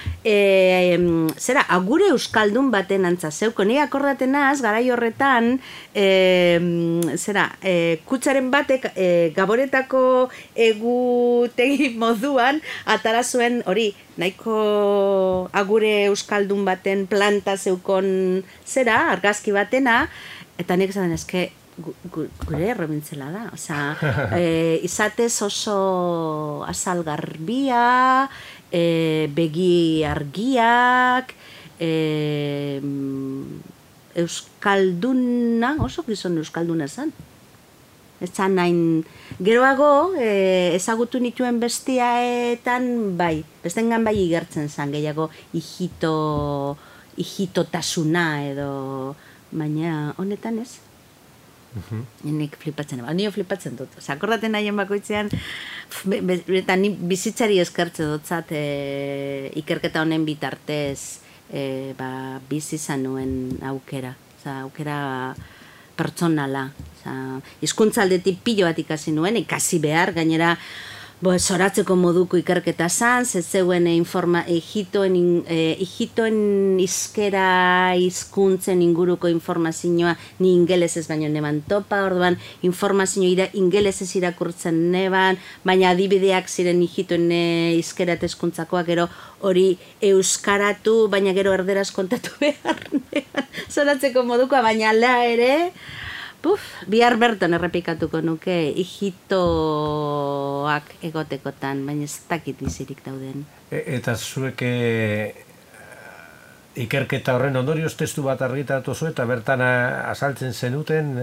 zera, agure euskaldun baten antza zeuko. Ni akordaten naz, garai horretan, zera, kutsaren batek Gaboretako egutegi moduan atara zuen hori, nahiko agure euskaldun baten planta zeukon zera, argazki batena, eta nik esaten eske, gure erromintzela da, izatez oso azal garbia, begi argiak, euskalduna, oso gizon euskalduna zen. Ez zan nahin, geroago ezagutu nituen bestiaetan bai, bestengan bai igertzen zen, gehiago hijitotasuna edo, baina honetan ez. Nik flipatzen, nio flipatzen dut. Akordaten nahien bakoitzean, eta ni bizitzari eskertze dutzat ikerketa honen bitartez bizi izan nuen aukera. Aukera pertsonala. Hizkuntza aldetik pilo bat ikasi nuen, ikasi behar, gainera zoratzeko moduko ikerketa zan, zeuen hijitoen izkera hizkuntzen inguruko informazioa ni ingelesez baino neban topa, orduan informazioa ingelesez irakurtzen neban, baina adibideak ziren hijitoen izkera eta hizkuntzakoak, gero hori euskaratu, baina gero erderaz kontatu behar neban, zoratzeko modukoa, baina ala ere, bihar berton errepikatuko nuke hijitoak egotekotan, baina ez dakit bizirik dauden. Eta zuek ikerketa horren ondorioz testu bat argitaratu zu eta bertan azaltzen zenuten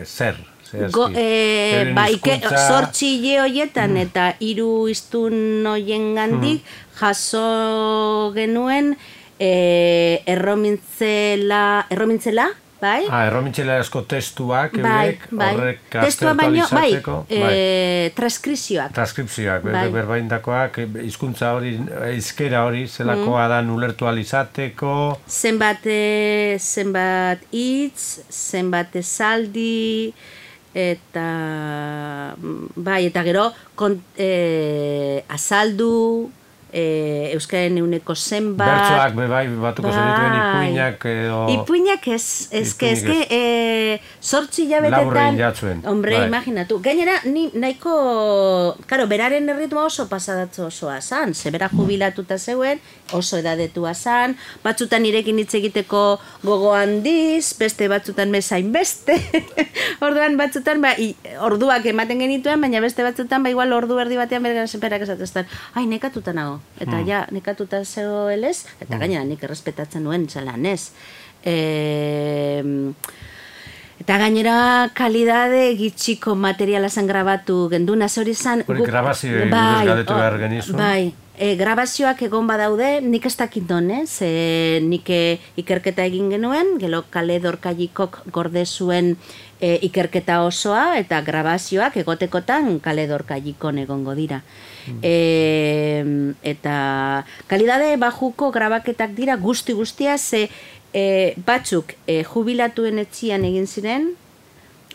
zer? Zortzi hile horietan eta 3 hiztun horien gandik jaso genuen erromintzela, bai? Erromintzela asko testuak, horrek aktualizatzeko. Transkripzioak. Transkripzioak, berbaindakoak, hizkuntza hori, hizkera hori, zelakoa da ulertu alizateko. Zenbat hitz, zenbat esaldi, eta gero azaldu, euskaren euneko zenbat. Bertsoak batuko zenituen ipuinak edo... Ipuinak ezke, zortzi hilabetetan... Laburrein jatzuen. Hombre, imaginatu. Gainera, nahiko... Karo, beraren erritmoa oso pasadatzo osoa zan. Zebera jubilatuta zeuen, oso edadetua zan. Batzutan irekin hitz egiteko gogo handiz, beste batzutan mezain beste. Orduan batzutan, orduak ematen genituen, baina beste batzutan, igual ordu erdi batean bergara zenperak esateztan. Ai, nekatuta nago. Eta ja, nekatuta zegoelez, eta gainera nik errespetatzen nuen zelan ez. Eta gainera kalidade gitxiko materiala zen grabatu genduna, hori zan... Hori grabazio buruz galdetu behar genizu. Bai, grabazioak egon badaude, nik ez dakit donez, nik ikerketa egin genuen, gero Kale Dorkailikok gorde zuen ikerketa osoa, eta grabazioak egotekotan Kale Dorkailikon egongo dira. Eta kalidade bajuko grabaketak dira guztia, ze batzuk jubilatuen etxian egin ziren,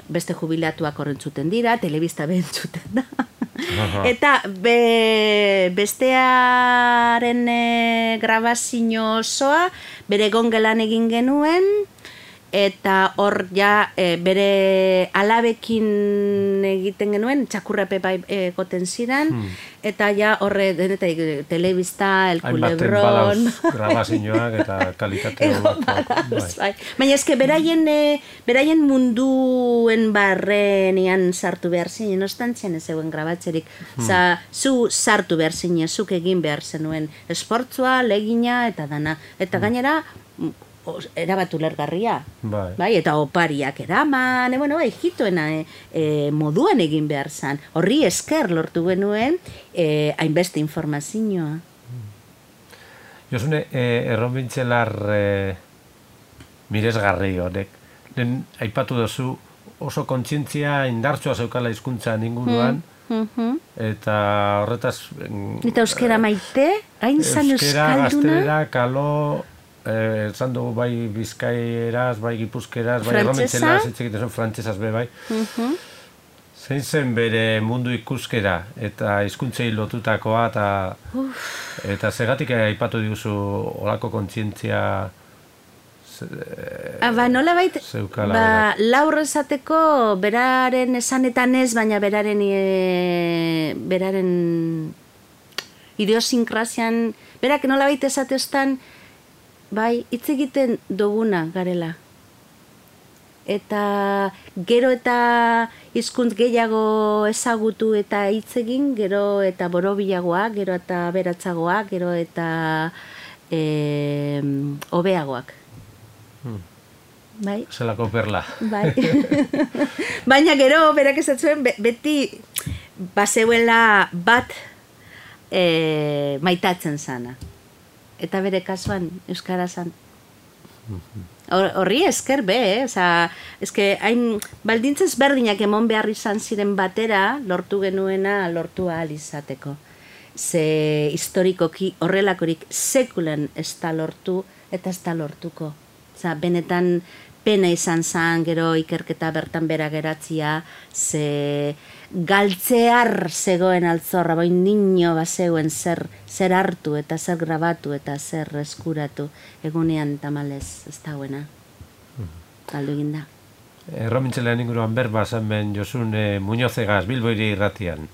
beste jubilatuak horrentzuten dira, telebista behentzuten da. Eta bestearen grabazio osoa bere gongelan egin genuen, eta hor ja bere alabekin egiten genuen, txakurrape bai egoten ziren, eta ja horre denetak telebista, El Culebron... Hainbaten badauz grabazioak eta kalitate bai. Baina eske beraien munduen barrenean sartu behar zinen, ostantzian ez zegoen grabatzerik. Zu sartu behar zinen, zuk egin behar zenuen esportzua, legina eta dana. Eta gainera, erabat ulergarria, bai, eta opariak eraman, hijitoena moduan egin behar zan. Horri esker lortu genuen hainbeste informazioa. Josune, erromintzielar miresgarri honek, aipatu duzu oso kontzientzia indartsua zeukala hizkuntzan inguruan, eta horretaz... Eta euskera maite, hain zan euskalduna? Gaztelera, kalo, esan dugu bai bizkaieraz, bai gipuzkeraz, bai erromentzeraz, egiten zuen frantsesaz be bai. Zein zen bere mundu ikuskera eta hizkuntzei lotutakoa eta segatik aipatu diguzu olako kontzientzia nolabait, laur esateko beraren esanetan ez, baina beraren idiosinkrasian, berak nolabait esateostan, bai, hitz egiten duguna garela. Eta gero eta hizkuntz gehiago ezagutu eta hitz egin, gero eta borobilagoak, gero eta aberatsagoak, gero eta hobeagoak. Bai? Zelako perla. Bai. Baina gero berak esatzen beti bazeuela bat maitatzen zana. Eta bere kasuan euskara zan. Horri esker eske hain baldintzez berdinak emon behar izan ziren batera lortu genuena lortu ahal izateko. Ze historikoki horrelakorik sekulen ez da lortu eta ez da lortuko. Benetan pena izan zen gero ikerketa bertan bera geratzia, ze galtzear zegoen altzorra, bai niño bazeuen zer hartu eta zer grabatu eta zer eskuratu, egunean tamalez ez dagoena. Galdu egin da. Erromintzelean inguruan berba zen Josun Muñozegaz, Bilbo Hiri Irratian.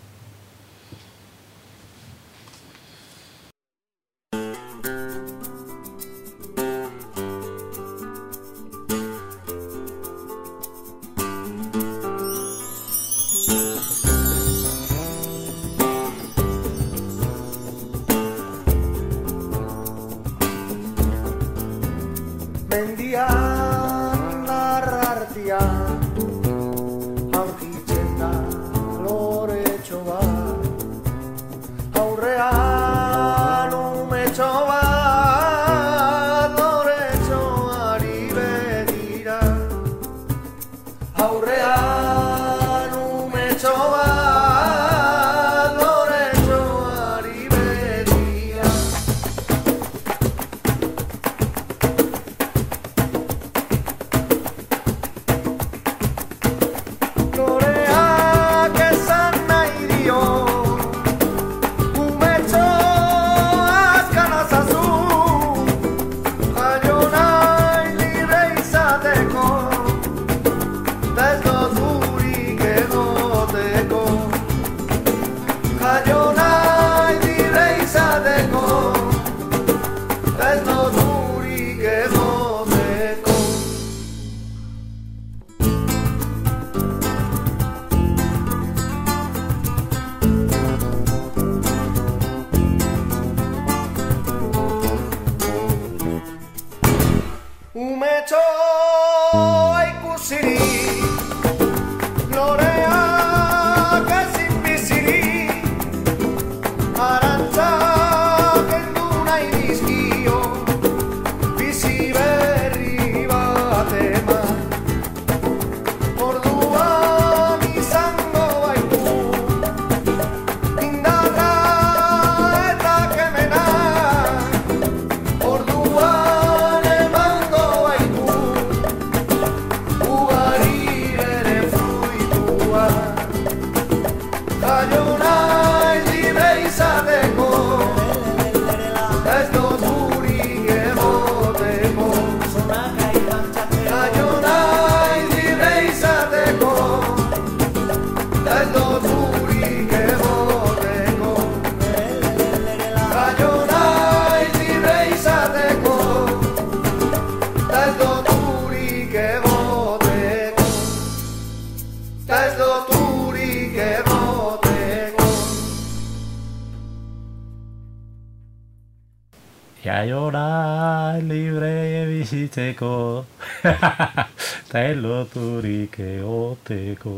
Jaiora libre bizitzeko eta eloturik egoteko.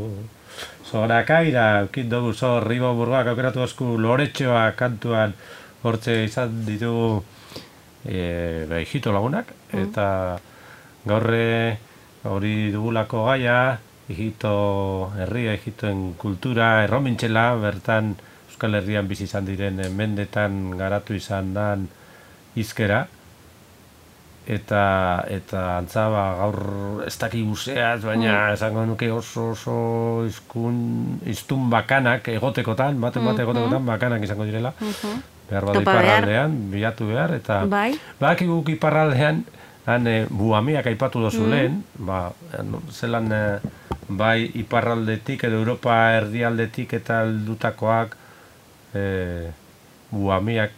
Zorakaira, eukit dugu zor, Ribo Burgoak aukeratu osku Loretxoa kantuan hortze izan ditugu hijito lagunak, eta gaurre hori dugulako gaia, Egipto herria, Egiptoen kultura, erromintxela, bertan Euskal Herrian bizi izan diren mendetan garatu izan dan hizkera. Eta antza gaur ez daki guzeaz, baina esango nuke oso iztun bakanak egotekotan, bate egotekotan bakanak izango direla. Behar bada iparraldean, bilatu behar, eta badakiguk iparraldean, buamiak aipatu dozu lehen, zelan bai iparraldetik edo Europa erdialdetik eta heldutakoak buamiak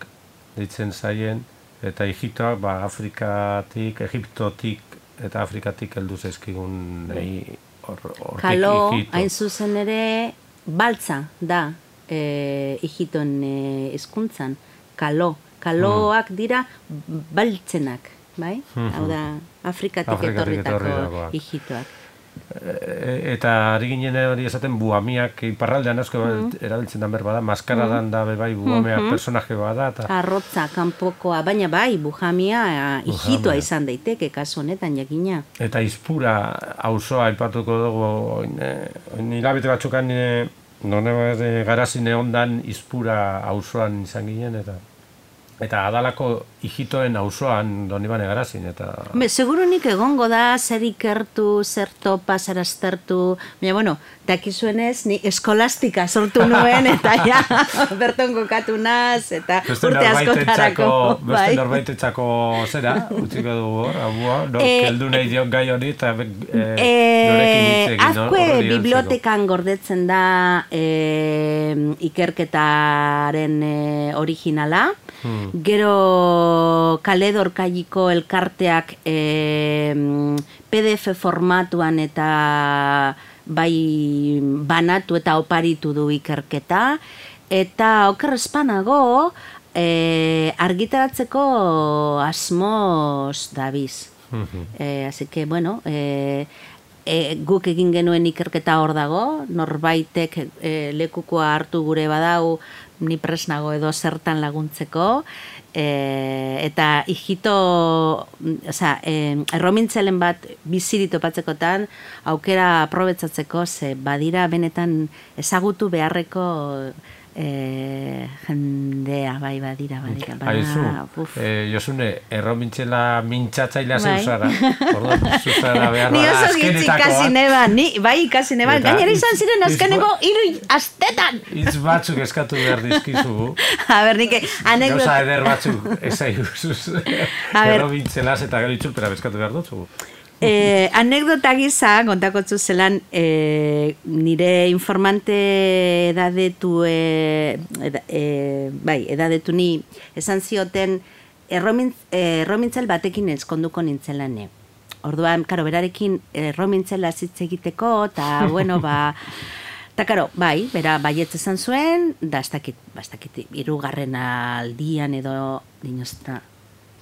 deitzen zaien, eta Egiptoak Afrikatik, Egiptotik eta Afrikatik heldu zaizkigun Kalo, hain zuzen ere, baltza da Egipton hizkuntzan. Kaloak dira baltzenak, bai? Hau da, Afrikatik etorritako Egiptoak. Eta ari ginen hori esaten buamiak iparraldean asko erabiltzen da berbada, maskaradan da bai buamiak personaje bada. Arrotza, kanpokoa, baina bai, buhamia Egiptoa izan daiteke kasu honetan jakina. Eta izpura auzoa aipatuko dugu, hilabete batzukan garazine ondan izpura auzoan izan ginen, eta adalako Egiptoen auzoan donibane garazin, eta... Segurunik egongo da, zer ikertu, zer topa, zer aztertu, baina, bueno, dakizuenez, ni eskolastika sortu nuen, eta ja, berton kokatu naz, eta urte askotarako. Beste norbaitetzako zera, utziko dugu hor, keldu nahi diok gai hori, eta norekin hitz egin. Azkue bibliotekan gordetzen da ikerketaren originala, gero Kaledorkaiko elkarteak PDF formatuan eta bai banatu eta oparitu du ikerketa, eta oker espanago argitaratzeko asmoz dabiz. Así que, bueno, guk egin genuen ikerketa hor dago, norbaitek lekukoa hartu gure badau, ni presnago edo zertan laguntzeko, eta Egipto, erromintzelen bat bizirik topatzekotan aukera aprobetzatzeko, ze badira benetan ezagutu beharreko jendea, bai badira. Aizu, Josune, erromintzela mintzatzailea zeuzara. Orduan, zuzara behar bada azkenetakoa. Bai ikasi neban, gainera izan ziren azkeneko 3 astetan. Hitz batzuk eskatu behar dizkizugu. A ber, nik anekdota... Gauza eder batzuk ezaiguzuz erromintzelaz eta gero itzulpera eskatu behar dutzugu. Anekdota gisa, kontakotzu zelan, nire informante edadetu ni esan zioten erromintzel batekin ezkonduko nintzelane. Orduan, karo, berarekin erromintzela zitz egiteko, eta, bueno, eta, karo, bai, bera baietz esan zuen, da, ez dakit, 3. aldian edo, dinostra,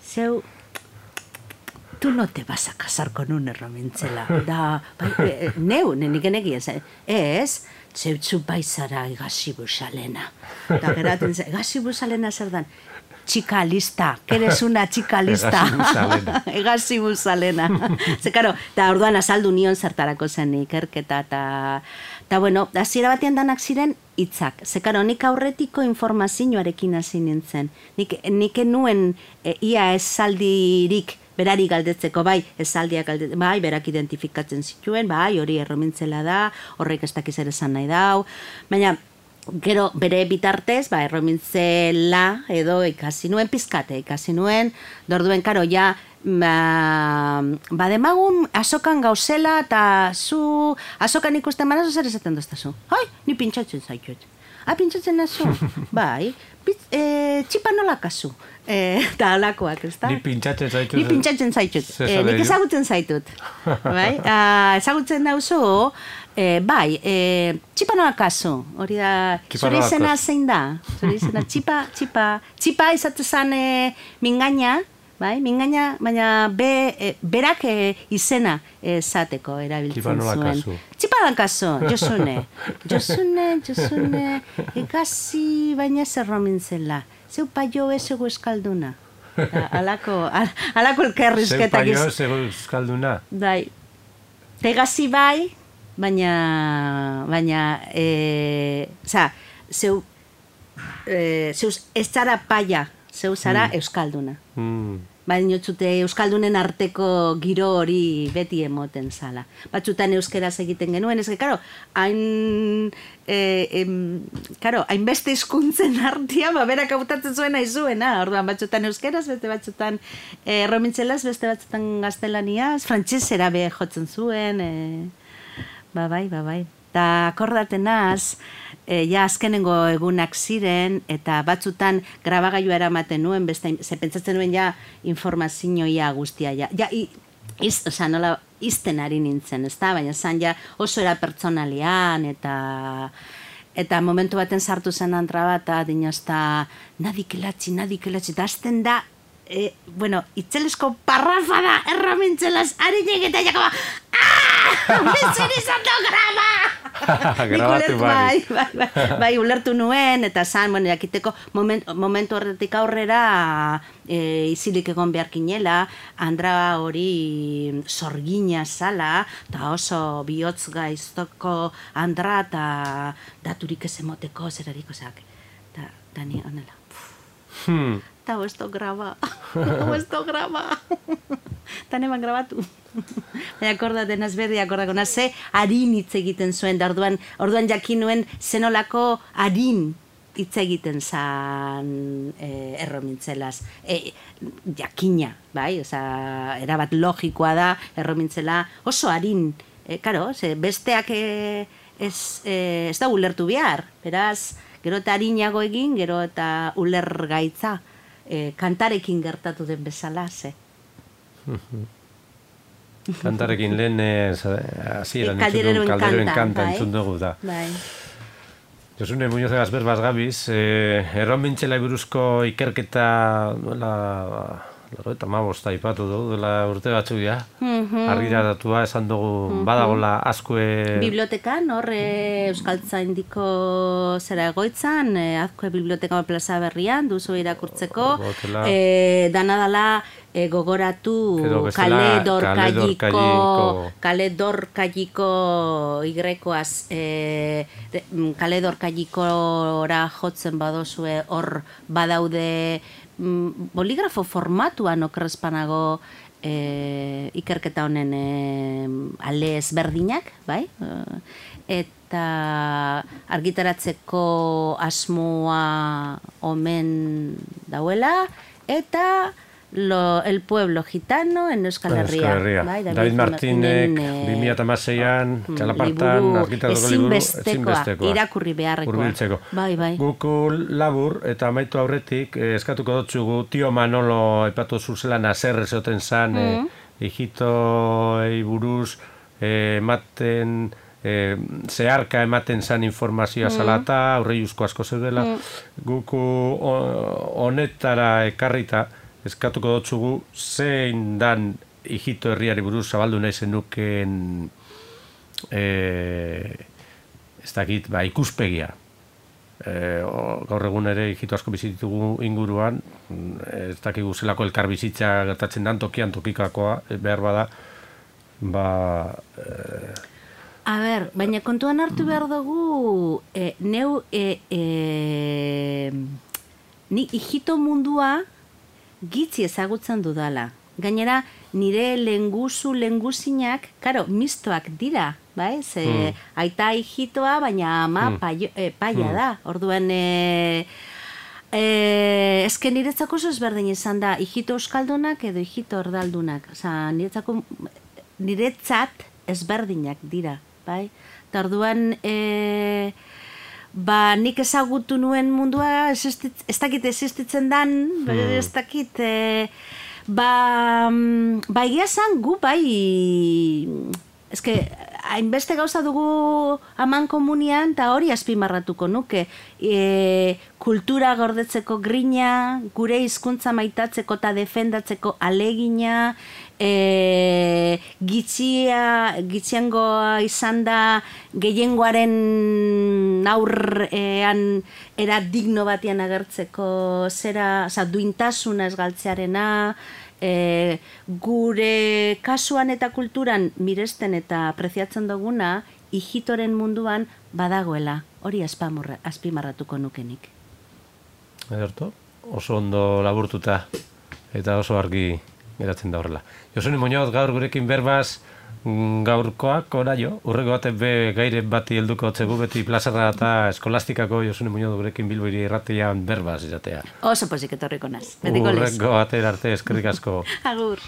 zeu, tú no te vas a casar con un erromintzela. Da, bai, nik enegi ez, zeutzu baizara egasi busalena. Da, geraten ze, egasi busalena zer dan? Chica lista, que eres una chica lista. Egasi busalena. Ze, karo, eta orduan azaldu nion zertarako zen ikerketa, eta, bueno, hasiera batean danak ziren hitzak. Ze, karo, nik aurretiko informazioarekin hasi nintzen. Nik enuen ia esaldirik berari galdetzeko, bai, esaldiak galdetzeko, bai, berak identifikatzen zituen, bai, hori erromintzela da, horrek ez dakiz ere esan nahi dau, baina, gero, bere bitartez, ba, erromintzela edo ikasi nuen, pizkate ikasi nuen, dorduen, karo, ja, demagun azokan gauzela, eta zu, azokan ikusten banazu zer esaten doztazu? Hai, ni pintxatzen zaitut. Pintxatzen nazu? Bai, txipa nola kasu? Eta alakoak, ez da? Ni pintxatzen zaitut. Nik ezagutzen zaitut. Bai? Ezagutzen dauzu, bai, txipa nola kasu? Hori da, zure izena zein da? Zure izena, txipa izatezan mingaina, bai, mingaina, baina berak izena esateko erabiltzen zuen. Txipa nola kasu? Josune, ikasi baina ez erromintzela. Zeu paio ezego eskalduna. Alako elkerrizketak. Zeu paio ezego eskalduna. Bai. Tegasi bai, baina, zeu ez zara paia, zeu zara euskalduna. Baina txute euskaldunen arteko giro hori beti emoten zala. Batzutan euskeraz egiten genuen, ez que, karo, hainbeste hizkuntzen artean, berak hautatzen zuena izuena, orduan batzutan euskeraz, beste batzutan erromintzelaz, beste batzutan gaztelaniaz, frantsesera be jotzen zuen, bai. Ta akordatenaz, ja azkenengo egunak ziren, eta batzutan grabagailua eramaten nuen, ze pentsatzen nuen ja informazioa guztia, nola izten ari nintzen, ezta? Baina zan ja oso era pertsonalian, eta momentu baten sartu zen antra bat, dinozta, nadikelatzi, eta azten da, itzelesko parrafa da, erramintzelaz, harinek eta jakaba, bezin izan da graba! Grabatu bai, ulertu nuen, eta zan, jakiteko momentu horretik aurrera izilik egon beharkinela, Andra hori sorgina zala, eta oso bihotz gaiztoko Andra, eta daturik ez emoteko, zerariko zak. Eta ni honela. Eta esto graba. Eta neban grabatu. Baina akordaten azberdi akordako, ze harin hitz egiten zuen, da orduan jakin nuen zenolako harin hitz egiten zan erromintzelaz. Jakina, bai, erabat logikoa da erromintzela oso harin. Karo, besteak ez da ulertu behar, beraz, gero eta harinago egin, gero eta uler gaitza, kantarekin gertatu den bezala, ze. Kantarekin lehen hasieran Kalderoen kanta entzun dugu da. Josune Muñoz Gasber Basgabiz, erromintzelai buruzko ikerketa eta mabosta ipatu dugu, dela urte batzuk ja, argiraratua esan dugu badagola askue... Bibliotekan, hor Euskaltzaindiko zera egoitzan, azkue biblioteka plaza berrian, duzu irakurtzeko, danadala gogoratu Kale Dorkailiko igrekoaz, Kale Dorkailikora jotzen badozue, hor badaude boligrafo formatuan okrespanago ikerketa honen ale ezberdinak, bai? Eta argitaratzeko asmoa omen dauela, eta el pueblo gitano en Euskal Herria. David Martinek 2016an txalapartan argitarako liburu ezinbestekoa. Irakurri beharrekoa. Bai. Guku labur eta amaitu aurretik eskatuko dotzugu Tio Manolo epatu zuzela naser ezoten zan hijitoei buruz ematen zeharka ematen zan informazioa zalata, aurreiuzko asko zeudela. Guku honetara ekarrita eskatuko dotzugu zein dan hijito herriari buruz zabaldu nahi zenuken ez dakit, ikuspegia. Gaur egun ere hijito asko bizitugu inguruan, ez dakigu zelako elkar bizitza gertatzen dan tokian tokikakoa, behar bada, A ber, baina kontuan hartu behar dugu, ni hijito mundua gitzi ezagutzen dudala. Gainera, nire lenguzinak, karo, mistoak dira, bai? Ze aita hijitoa, baina ama paia da. Orduan, ezken niretzako oso ezberdin izan da, hijito euskaldunak edo hijito ordaldunak. Osa, niretzat ezberdinak dira, bai? Eta orduan, nik ezagutu nuen mundua, ez dakit existitzen dan, ez dakit, egia zan gu ezke, hainbeste gauza dugu aman komunian, eta hori azpimarratuko nuke, kultura gordetzeko grina, gure hizkuntza maitatzeko eta defendatzeko alegina, gitxiangoa izan da gehiengoaren aurrean era digno batean agertzeko zera, duintasuna ez galtzearena, gure kasuan eta kulturan miresten eta preziatzen duguna, hijitoren munduan badagoela, hori azpimarratuko nukenik. Ederto, oso ondo laburtuta eta oso argi geratzen da horrela. Josune Muñoz, gaur gurekin berbaz, gaurkoak oraio, urrego batek be gaire bati helduko otzegu beti plazarra eta eskolastikako Josune Muñoz gurekin Bilbo Hiri Irratian berbaz izatea. Oso pozik etorriko naz, betiko lez. Urrego bater arte eskerrik asko. Agur.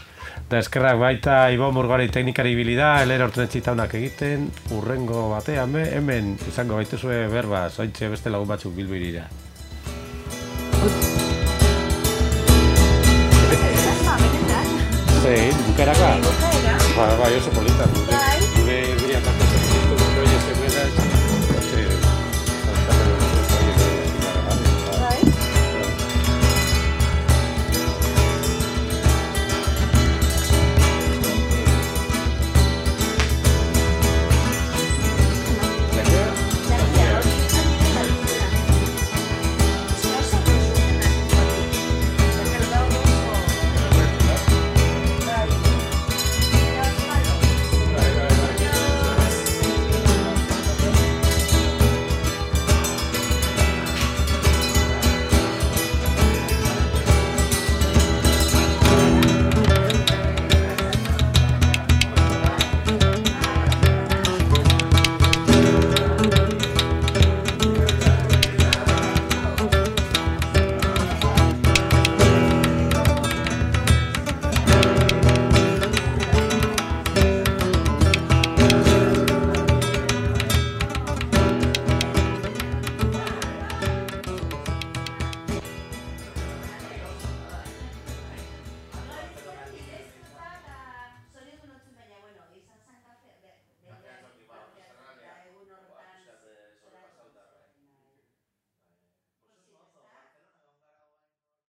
Eta eskerrak baita Ibo Murgori teknikari ibili da, elera horten txitaunak egiten, urrengo batean hemen izango baituzue berbaz, ointxe beste lagun batzuk Bilbo Hirira. Zein, bukaeraka? Bai, oso polita.